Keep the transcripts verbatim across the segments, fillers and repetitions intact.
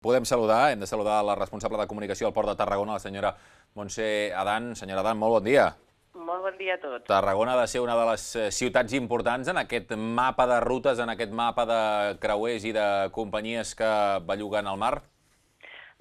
Podem saludar, hem de saludar la responsable de comunicació al Port de Tarragona, la senyora Montse Adán. Senyora Adán, molt bon dia. Molt bon dia a tots. Tarragona ha de ser una de les ciutats importants en aquest mapa de rutes, en aquest mapa de creuers i de companyies que belluguen al mar?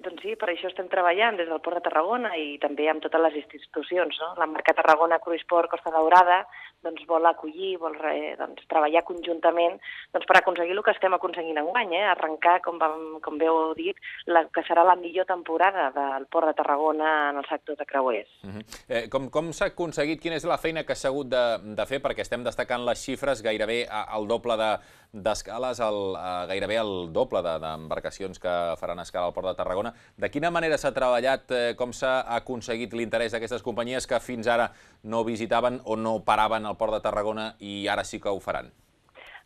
Doncs sí, per això estem treballant des del Port de Tarragona i també amb totes les institucions, no? La marca Tarragona Cruise Port Costa Daurada doncs, vol acollir, vol eh, doncs, treballar conjuntament doncs, per aconseguir el que estem aconseguint enguany, eh? Arrencar, com, vam, com bé heu dit, la, que serà la millor temporada del Port de Tarragona en el sector de creuers. Uh -huh. eh, com com s'ha aconseguit, quina és la feina que s'ha hagut de, de fer, perquè estem destacant les xifres, gairebé el doble de d'escales, el, eh, gairebé el doble d'embarcacions de, que faran escala al Port de Tarragona. De quina manera s'ha treballat, eh, com s'ha aconseguit l'interès d'aquestes companyies que fins ara no visitaven o no paraven al Port de Tarragona i ara sí que ho faran?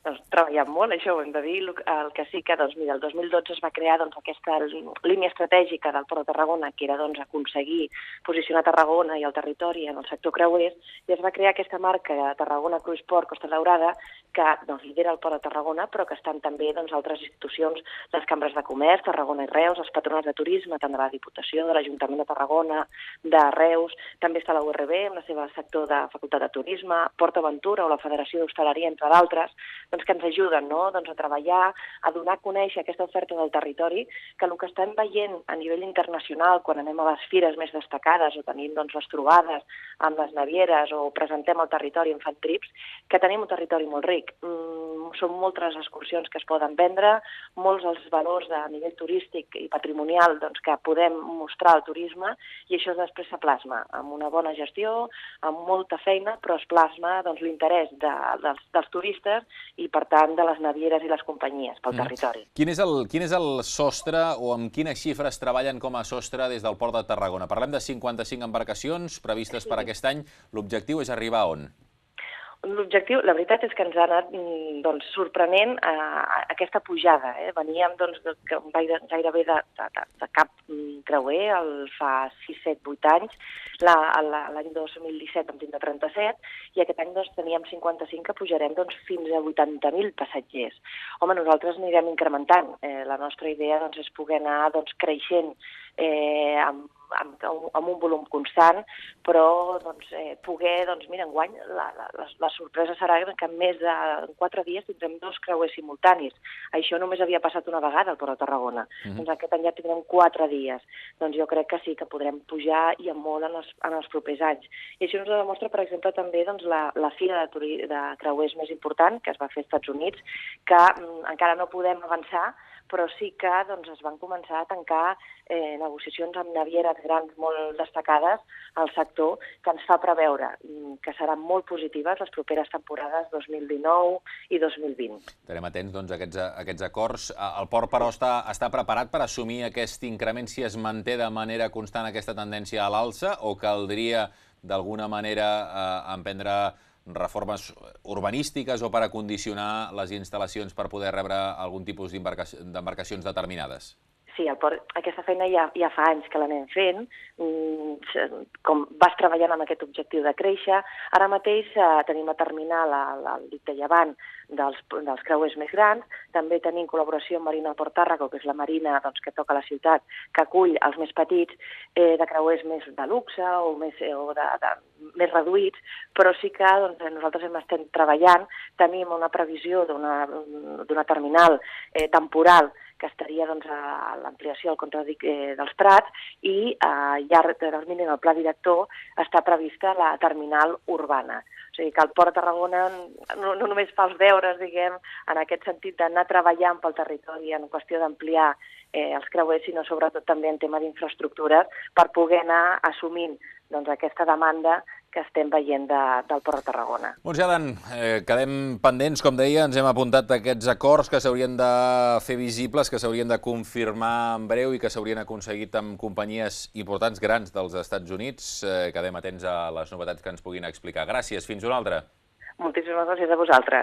Doncs treballant molt, això ho hem de dir. El que sí que, doncs, mira, el dos mil dotze es va crear doncs, aquesta línia estratègica del Port de Tarragona, que era doncs, aconseguir posicionar Tarragona i el territori en el sector creuers, i es va crear aquesta marca Tarragona Cruise Port Costa Daurada, que doncs, lidera el Port de Tarragona, però que estan també doncs, altres institucions, les cambres de comerç, Tarragona i Reus, els patronats de turisme, tant de la Diputació, de l'Ajuntament de Tarragona, de Reus, també està la U R B, amb el seu sector de Facultat de Turisme, Port Aventura o la Federació d'Hostaleria, entre d'altres, doncs, que ens ajuden, no? doncs, a treballar, a donar a conèixer aquesta oferta del territori, que el que estem veient a nivell internacional, quan anem a les fires més destacades o tenim doncs, les trobades amb les navieres o presentem el territori en fan trips, que tenim un territori molt ric. Mm, són moltes excursions que es poden vendre, molts els valors a nivell turístic i patrimonial doncs, que podem mostrar al turisme, i això després se plasma amb una bona gestió, amb molta feina, però es plasma doncs, l'interès de, dels, dels turistes i, per tant, de les navieres i les companyies pel territori. Quin és el, quin és el sostre o amb quines xifres treballen com a sostre des del Port de Tarragona? Parlem de cinquanta-cinc embarcacions previstes per aquest any. L'objectiu és arribar a on? L'objectiu, la veritat és que ens ha anat doncs, sorprenent eh, aquesta pujada. Eh? Veníem doncs, de, gairebé de, de, de cap creuer el fa sis, set, vuit anys. L'any dos mil disset vam tindre trenta-set i aquest any doncs, teníem cinquanta-cinc, que pujarem doncs, fins a vuitanta mil passatgers. Home, nosaltres anirem incrementant. Eh, la nostra idea doncs, és poder anar doncs, creixent eh, amb Amb, amb un volum constant, però doncs, eh, poder, doncs mira, enguany la, la, la sorpresa serà que en més de quatre dies tindrem dos creuers simultanis. Això només havia passat una vegada al Port de Tarragona. Mm-hmm. Doncs aquest any ja tindrem quatre dies. Doncs jo crec que sí que podrem pujar i molt en els, en els propers anys. I això ens demostra, per exemple, també doncs, la, la fira de, de creuers més important que es va fer als Estats Units, que mm, encara no podem avançar, però sí que doncs, es van començar a tancar eh, negociacions amb navieres grans molt destacades al sector, que ens fa preveure que seran molt positives les properes temporades dos mil dinou i dos mil vint. Estarem atents doncs, a, aquests, a aquests acords. El port, però, està, està preparat per assumir aquest increment si es manté de manera constant aquesta tendència a l'alça, o caldria d'alguna manera eh, emprendre reformes urbanístiques o per acondicionar les instal·lacions per poder rebre algun tipus d'embarcacions determinades? Sí, el port, aquesta feina ja, ja fa anys que l'anem fent, com vas treballant amb aquest objectiu de créixer. Ara mateix eh, tenim la terminal al dic de Llevant dels, dels creuers més grans, també tenim col·laboració amb Marina Port Tàrrega, que és la marina doncs, que toca a la ciutat, que acull els més petits eh, de creuers més de luxe o més, o de, de, més reduïts, però sí que doncs, nosaltres hem estat treballant, tenim una previsió d'una terminal eh, temporal que estaria doncs, a l'ampliació al contradic eh, dels Prats, i a llarg termini en el pla director està prevista la terminal urbana. O sigui que el Port de Tarragona no, no només fa els deures, diguem, en aquest sentit d'anar treballant pel territori en qüestió d'ampliar eh, els creuers, sinó sobretot també en tema d'infraestructures per poder anar assumint doncs, aquesta demanda que estem veient de, del Port de Tarragona. Montse Adán, eh, quedem pendents, com deia, ens hem apuntat aquests acords que s'haurien de fer visibles, que s'haurien de confirmar en breu i que s'haurien aconseguit amb companyies importants, grans dels Estats Units. Eh, quedem atents a les novetats que ens puguin explicar. Gràcies, fins una altra. Moltíssimes gràcies a vosaltres.